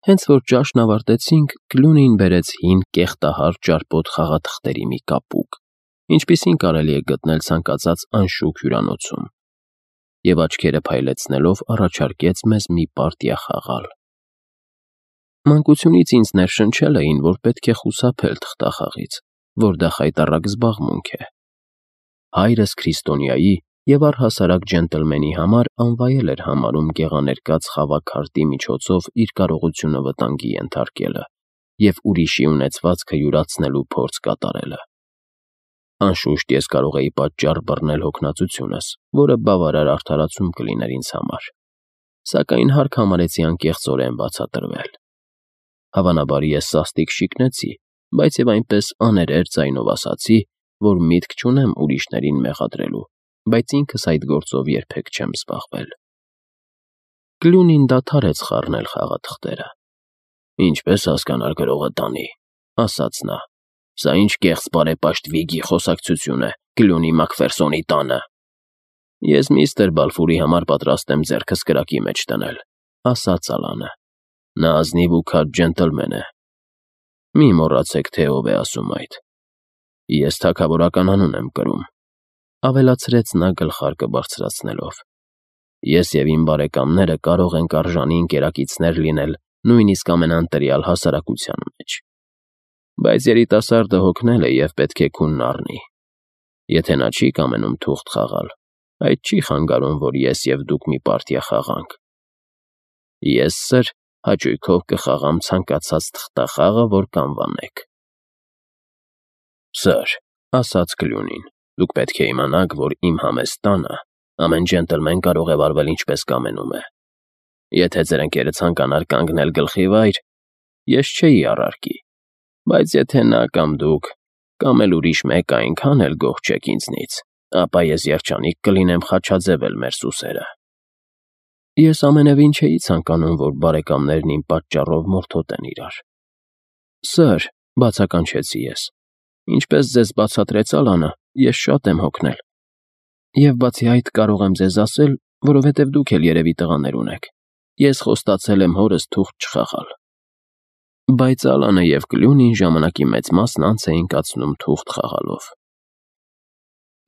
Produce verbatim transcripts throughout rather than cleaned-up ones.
Հենց որ ճաշն ավարտեցինք, Կլյունին բերեց հին կեղտահար ճարպոտ խաղաթղթերի մի կապուկ, ինչպիսին կարելի է գտնել ցանկացած անշուք հյուրանոցում, և աչքերը փայլեցնելով առաջարկեց մեզ մի պարտիա խաղալ։ Մանկությունից ինձ ներշնչել էին, որ պետք է խուսափել թղթախաղից, որ դա խայտառակ զբաղմունք է։ Հայրս քրիստոնյայի և առհասարակ ջենտլմենի համար անվայել էր համարում գեղաներկած խաղաքարտի միջոցով իր կարողությունը վտանգի ենթարկելը և ուրիշի ունեցվածքը յուրացնելու փորձ կատարելը։ Անշուշտ ես կարող էի պատճառ բռնել հոգնածությունս, որը բավարար արդարացում կլիներ ինձ համար, սակայն հարկ համարեցի անկեղծորեն բացատրվել։ Հավանաբար ես սաստիկ շիկնեցի, բայց և այնպես աներեր ձայնով ասացի, որ միտք չունեմ ուրիշներին մեղադրելու, բայց ինքս այդ գործով երբեք չեմ զբաղվել։ Կլյունին դադարեց խառնել խաղաթղթերը։ «Ինչպես հասկանալ գրողը տանի», ֊ ասաց նա։ «Սա ինչ կեղծ բարեպաշտ Վիգի խոսակցություն է Կլյունի Մակֆերսոնի տանը»։ «Ես միստր Բալֆուրի համար պատրաստ եմ ձեռքս կրակի մեջ դնել», ֊ ասաց Ալանը։ «Նա ազնիվ ու քաջ ջենտլմեն է։ Մի մոռացեք, թե ով է ասում այդ։ Ես թագավորական անուն եմ կրում», ֊ ավելացրեց նա գլխարկը բարձրացնելով։ «Ես և իմ բարեկամները կարող ենք արժանի ընկերակիցներ լինել նույնիսկ ամենաընտրյալ հասարակության մեջ։ Բայց երիտասարդը հոգնել է և պետք է քունն առնի։ Եթե նա չի կամենում թուղթ խաղալ, այդ չի խանգարում, որ ես և դուք մի պարտիա խաղանք։ Ես, սըր, հաճույքով կխաղամ ցանկացած թղթախաղը, որ կանվանեք»։ «Սըր», ֊ ասաց Կլյունին, «դուք պետք է իմանաք, որ իմ համեստ տանը ամեն ջենտլմեն կարող է վարվել ինչպես կամենում է։ Եթե ձեր ընկերը ցանկանար կանգնել գլխի վայր, ես չէի առարկի, բայց եթե նա կամ դուք, կամ էլ ուրիշ մեկը այնքան էլ գոհ չեք ինձնից, ապա ես երջանիկ կլինեմ խաչաձևել մեր սուսերը»։ Ես ամենևին չէի ցանկանում, որ բարեկամներն իմ պատճառով մորթոտեն իրար։ «Սըր», ֊ բացականչեցի ես, «ինչպես ձեզ բացատրեց Ալանը, ես շատ եմ հոգնել։ Եվ բացի այդ կարող եմ ձեզ ասել, որովհետև դուք էլ երևի տղաներ ունեք, ես խոստացել եմ հորս թուղթ չխաղալ»։ Բայց Ալանը և Կլյունին ժամանակի մեծ մասն անց էին կացնում թուղթ խաղալով։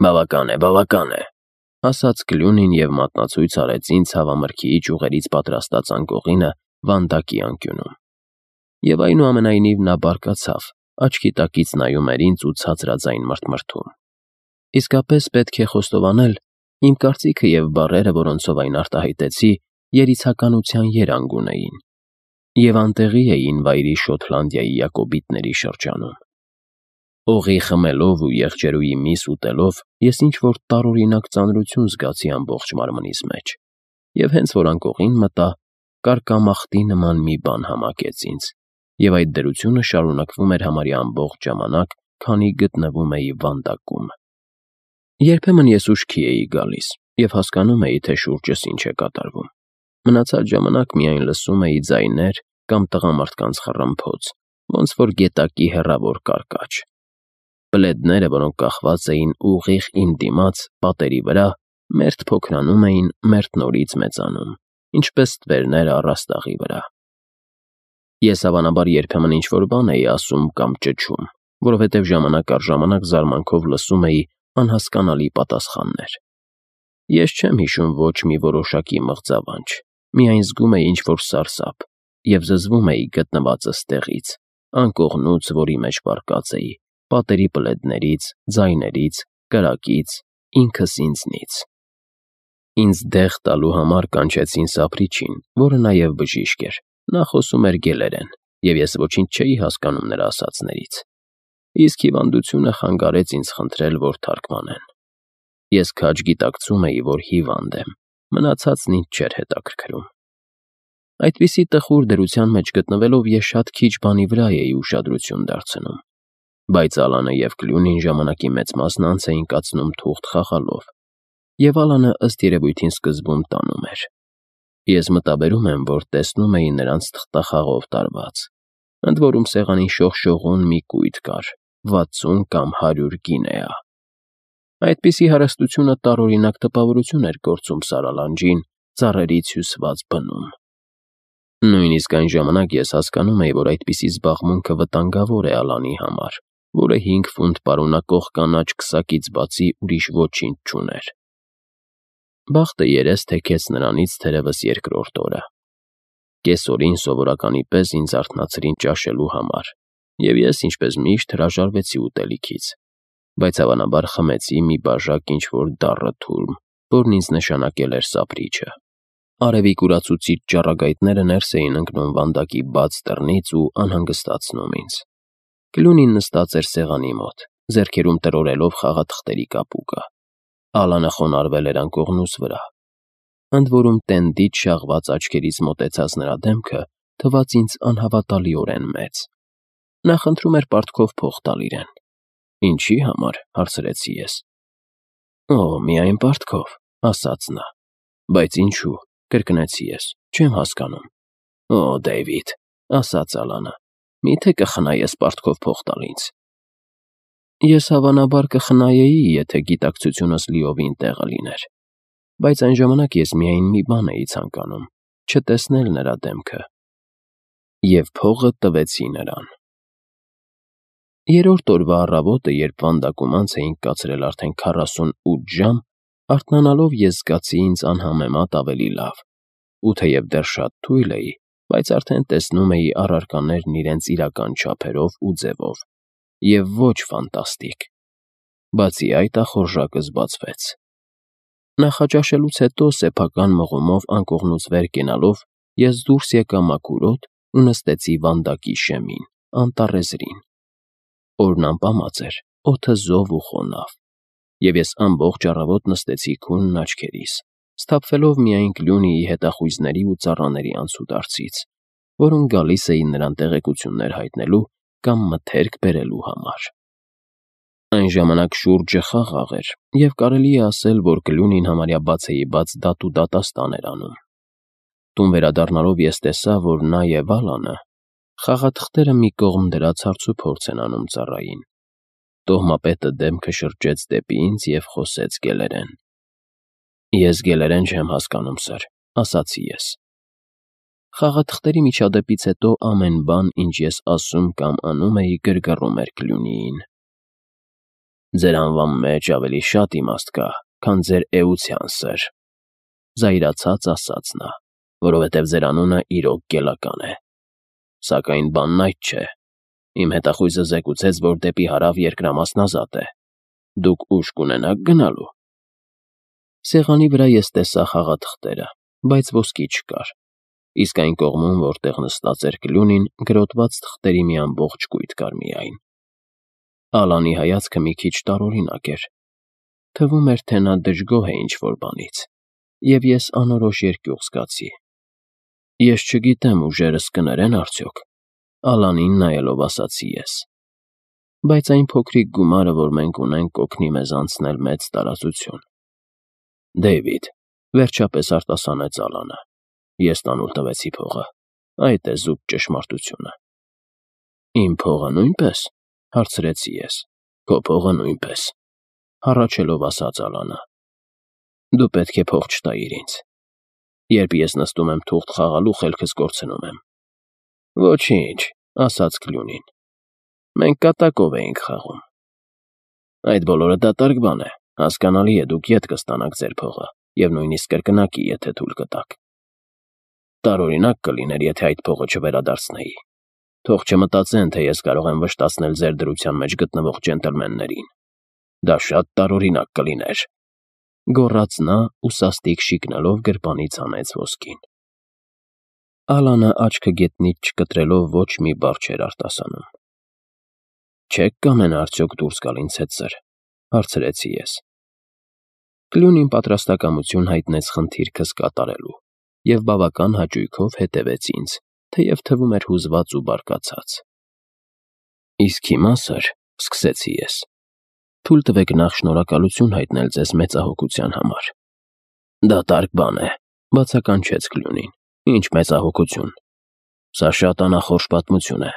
«Բավական է, բավական է», ֊ ասաց Կլյունին և մատնացույց արեց ինձ հավամրգիի ճյուղերից պատրաստած անկողինը վանդակի անկյունում։ Եվ այնուամենայնիվ նա բարկացավ, աչքի տակից նայում էր ինձ ու ցածրաձայն մրթմրթում։ Իսկապես պետք է խոստովանել, իմ կարծիքը և բառերը, որոնցով այն արտահայտեցի, երիցականության երանգ ունեին և անտեղի էին վայրի Շոտլանդիայի Յակոբիտների շրջանում։ Օղի խմելով ու եղջերուի միս ուտելով ես ինչ-որ տարօրինակ ծանրություն զգացի ամբողջ մարմնիս մեջ, և հենց որ անկողին մտա, կարկամախտի նման մի բան համակեց ինձ, և այդ դրությունը շարունակվում էր համարյա ամբողջ ժամանակ, քանի գտնվում էի վանդակում։ Երբեմն ես ուշքի էի գալիս և հասկանում էի, թե շուրջս ինչ է կատարվում։ Մնացած ժամանակ միայն լսում էի ձայներ կամ տղամարդկանց խռմփոց, ոնց որ գետակի հեռավոր կարկաչ։ Բլեդները, որոնք կախված էին ուղիղ իմ դիմաց, պատերի վրա, մերթ փոքրանում էին, մերթ նորից մեծանում, ինչպես ստվերները առաստաղի վրա։ Ես հավանաբար երբեմն ինչ-որ բան էի ասում կամ ճչում, որովհետև ժամանակ առ ժամանակ զարմանքով լսում էի անհասկանալի պատասխաններ։ Ես չեմ հիշում ոչ մի որոշակի մղձավանջ, միայն զգում էի ինչ-որ սարսափ և զզվում էի գտնվածս տեղից, անկողնուց, որի մեջ պառկած էի, պատերի բլեդներից, ձայներից, կրակից, ինքս ինձնից։ Ինձ դեղ տալու համար կանչեցին սափրիչին, որը նաև բժիշկ էր։ Նա խոսում էր գելերեն, և ես ոչինչ չէի հասկանում նրա ասածներից, իսկ հիվանդությունը խանգարեց ինձ խնդրել, որ թարգմանեն։ Ես քաջ գիտակցում էի, որ հիվանդ եմ, մնացածն ինձ չէր հետաքրքրում։ Այդպիսի տխուր դրության մեջ գտնվելով ես շատ քիչ բանի վրա էի ուշադրություն դարձնում, բայց Ալանը և Կլյունին ժամանակի մեծ մասն անց էին կացնում թուղթ խաղալով, և Ալանը ըստ երևույթին սկզբում տանում էր։ Ես մտաբերում եմ, որ տեսնում էի նրանց թղթախաղով տարված, ընդ որում սեղանի շողշողուն մի կույտ կար, վաթսուն կամ հարյուր գինեա։ Այդպիսի հարստությունը տարօրինակ տպավորություն էր գործում Սարալանջին ծառերից հյուսված բնում։ Նույնիսկ այն ժամանակ ես հասկանում էի, որ այդպիսի զբաղմունքը վտանգավոր է Ալանի համար, որը հինգ ֆունտ պարունակող կանաչ քսակից բացի ուրիշ ոչինչ չուներ։ Բախտը երես թեքեց նրանից թերևս երկրորդ օրը։ Կեսօրին սովորականի պես ինձ արթնացրին ճաշելու համար, և ես, ինչպես միշտ, հրաժարվեցի ուտելիքից, բայց հավանաբար խմեցի մի բաժակ ինչ-որ դառը թուրմ, որն ինձ նշանակել էր սափրիչը։ Արևի կուրացուցիչ ճառագայթները ներս էին ընկնում վանդակի բաց դռնից ու անհանգստացնում ինձ։ Կլյունին նստած էր սեղանի մոտ, ձեռքերում տրորելով խաղաթղթերի կապուկը։ Ալանը խոնարհվել էր անկողնուս վրա։ Ընդ որում տենդից շաղված աչքերից մոտեցած նրա դեմքը թվաց ինձ անհավատալիորեն մեծ։ Նա խնդրում էր պարտքով փող տալ իրեն։ Ինչի համար, հարցրեցի ես։ Օ, միայն պարտքով, ասաց նա։ Բայց ինչու, կրկնեցի ես, չեմ հասկանում։ Օ, Դեյվիդ, ասաց Ալանը, միթե կխնայես պարտքով փող տալ ինձ։ Ես հավանաբար կխնայեի, եթե գիտակցությունս լիովին տեղը լիներ, բայց այն ժամանակ ես միայն մի բան էի ցանկանում՝ չտեսնել նրա դեմքը։ Եվ փողը տվեցի նրան։ Երրորդ օրվա առավոտը, երբ վանդակում անց էինք կացրել արդեն քառասունութ ժամ, արթնանալով ես զգացի ինձ անհամեմատ ավելի լավ, ու թեև դեռ շատ թույլ էի, բայց արդեն տեսնում էի առարկաներն իրենց իրական չափերով ու ձևով, և ոչ ֆանտաստիկ։ Բացի այդ, ախորժակս բացվեց։ Նախաճաշելուց հետո, սեփական մղումով անկողնուց վեր կենալով, ես դուրս եկա մաքուր օդ ու նստեցի վանդակի շեմին, անտառեզրին։ Օրն ամպամած էր, օդը զով ու խոնավ, և ես ամբողջ առավոտ նստեցի քունն աչքերիս, սթափվելով միայն Կլյունիի հետախույզների ու ծառաների անցուդարձից, որոնք գալիս էին նրան տեղեկություններ հայտնելու կամ մթերք բերելու համար։ Այն ժամանակ շուրջը խաղաղ էր, և կարելի է ասել, որ Կլյունին համարյա բացեիբաց դատ ու դատաստան էր անում։ Տուն վերադառնալով ես տեսա, որ նա և Ալանը խաղաթղթերը մի կողմ դրած հարցուփորձ են անում ծառային։ Տոհմապետը դեմքը շրջեց դեպի ինձ և խոսեց գելերեն։ Ես գելերեն չեմ հասկանում, սըր, ասացի ես։ Խաղաթղթերի միջադեպից հետո ամեն բան, ինչ ես ասում կամ անում էի, գրգռում էր Կլյունիին։ Ձեր անվան մեջ ավելի շատ իմաստ կա, քան ձեր էության, սըր, զայրացած ասաց նա, որովհետև ձեր անունը իրոք գելական է։ Սակայն բանն այդ չէ։ Իմ հետախույզը զեկուցեց, որ դեպի հարավ երկրամասն ազատ է։ Դուք ուժ կունենաք գնալու։ Սեղանի վրա ես տեսա խաղաթղթերը, բայց ոսկի չկար, իսկ այն կողմում, որտեղ նստած էր Կլյունին, գրոտված թղթերի մի ամբողջ կույտ կար միայն։ Ալանի հայացքը մի քիչ տարօրինակ էր։ Թվում էր, թե նա դժգոհ է ինչ-որ բանից, և ես անորոշ երկյուղ զգացի։ Ես չգիտեմ ուժերս կներեն արդյոք, Ալանին նայելով ասացի ես։ Բայց այն փոքրիկ գումարը, որ մենք ունենք, կօգնի մեզ անցնել մեծ տարածություն։ Դեյվիդ, վերջապես արտասանեց Ալանը, ես տանուլ տվեցի փողը, այդ է զուտ ճշմարտությունը։ Իմ փողը նույնպե՞ս, հարցրեցի ես։ Քո փողը նույնպես, հառաչելով ասաց Ալանը։ Դու պետք է փող չտայիր ինձ։ Երբ ես նստում եմ թուղթ խաղալու, խելքս կորցնում եմ։ Ոչինչ, ասաց Կլյունին։ Մենք կատակով էինք խաղում։ Այդ բոլորը դատարկ բան է, հասկանալի է, դուք ետ կստանաք ձեր փողը, և նույնիսկ կրկնակի, եթե թույլ կտաք։ Տարօրինակ կլիներ, եթե այդ փողը չվերադարձնեի։ Թող չմտածեն, թե ես կարող եմ վշտացնել ձեր դրության մեջ գտնվող ջենտլմեններին։ Դա շատ տարօրինակ կլիներ, գոռաց նա ու սաստիկ շիկնալով գրպանից հանեց ոսկին։ Ալանը աչքը գետնից չկտրելով ոչ մի բառ չէր արտասանում։ Չեք կամենա արդյոք դուրս գալ ինձ հետ, սըր, հարցրեցի ես։ Կլյունին պատրաստակամություն հայտնեց խնդիրքս կատարելու և բավական հաճույքով հետևեց ինձ, թեև թվում էր հուզված ու բարկացած։ Իսկ հիմա, սըր, սկսեցի ես, թույլ տվեք նախ շնորհակալություն հայտնել ձեզ մեծահոգության համար։ Դատարկ բան է, բացականչեց Կլյունին, ինչ մեծահոգություն։ Սա շատ անախորժ պատմություն է։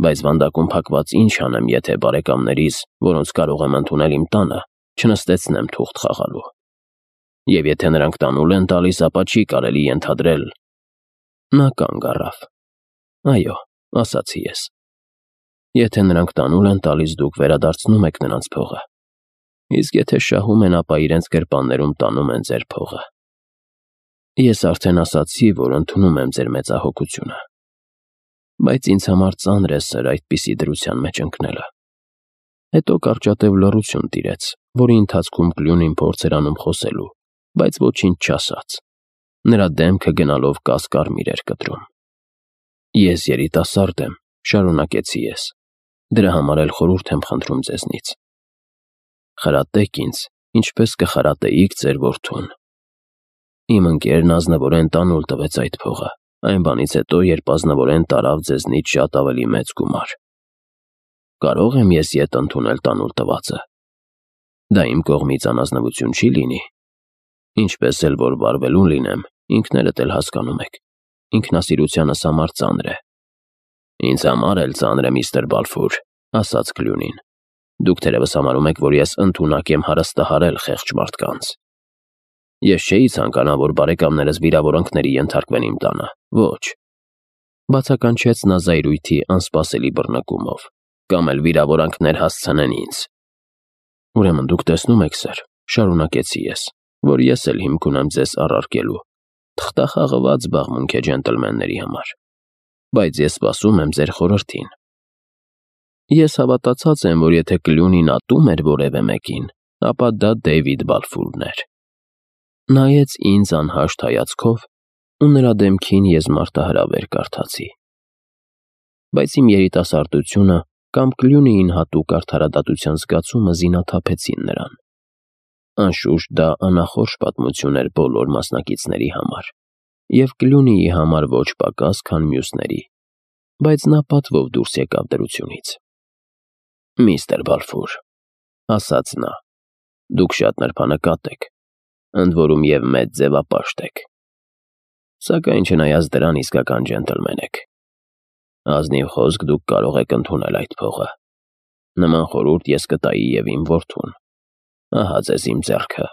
Բայց վանդակում փակված ինչ անեմ, եթե բարեկամներիս, որոնց կարող եմ ընդունել իմ տանը, չնստեցնեմ թուղթ խաղալու։ Եվ եթե նրանք տանուլ են տալիս, ապա չի կարելի ենթադրել։ Նա կանգ առավ։ Այո, ասացի ես։ Եթե նրանք տանուլ են տալիս, դուք վերադարձնում եք նրանց փողը։ Իսկ եթե շահում են, ապա իրենց գրպաններում տանում են ձեր փողը։ Ես արդեն ասացի, որ ընդունում եմ ձեր մեծահոգությունը։ Բայց ինձ համար ծանր է սր այդպիսի դրության մեջ ընկնելը։ Հետո կարճատև լռություն տիրեց, որի ընթացքում Կլյունին փորձ էր անում խոսելու, բայց ոչինչ չասաց։ Նրա դեմքը գնալով կասկարմիր էր կտրում։ Ես երիտասարդ եմ, շարունակեցի ես։ Դրա համար էլ խորհուրդ եմ խնդրում ձեզնից։ Խրատեք ինձ, ինչպես կխրատեիք ձեր որդուն։ Իմ ընկերն ազնվորեն տանուլ տվեց այդ փողը, այն բանից հետո, երբ ազնվորեն տարավ ձեզնից շատ ավելի մեծ գումար։ Կարո՞ղ եմ ես ետ ընդունել տանուլ տվածը։ Դա իմ կողմից անազնվություն չի լինի։ Ինչպես էլ որ վարվելուն լինեմ, ինքներդ էլ հասկանում եք։ Ինքնասիրությանս համար ծանր է։ Ինձ համար էլ ծանր է, միստր Բալֆուր, ասաց Կլյունին։ Դուք թերևս համարում եք, որ ես ընդունակ եմ հարստահարել խեղճ մարդկանց։ Ես չէի ցանկանա, որ բարեկամներս վիրավորանքների ենթարկվեն իմ տանը։ Ոչ։ Բացականչեց նա զայրույթի անսպասելի բռնկումով, կամ էլ վիրավորանքներ հասցնեն ինձ։ Ուրեմն դուք տեսնում եք, սեր, շարունակեցի ես, որ ես էլ հիմք ունեմ ձեզ առարկելու։ Թղթախաղված զբաղմունք է ջենտլմենների համար։ Բայց ես սպասում եմ ձեր խորհրդին։ Ես հավատացած եմ, որ եթե Կլյունին ատում էր որևէ մեկին, ապա դա Դեյվիդ Բալֆուրն էր։ Նայեց ինձ անհաշտ հայացքով, ու նրա դեմքին ես մարտահրավեր կարդացի։ Բայց իմ երիտասարդությունը կամ Կլյունիին հատուկ արդարադատության զգացումը զինաթափեցին նրան։ Անշուշտ դա անախորժ պատմություն էր բոլոր մասնակիցների համար, և Կլյունիի համար ոչ պակաս, քան մյուսների, բայց նա պատվով դուրս եկավ դրությունից։ Միստր Բալֆուր, ասաց նա, դուք շատ նրբանկատ եք, ընդ որում և մեծ ձևապաշտ եք, սակայն չնայած դրան իսկական ջենտլմեն եք։ Ազնիվ խոսք դուք կարող եք ընդունել այդ փողը։ Նման խորհուրդ ես կտայի և իմ որդուն։ Ահա ձեզ իմ ձեռքը։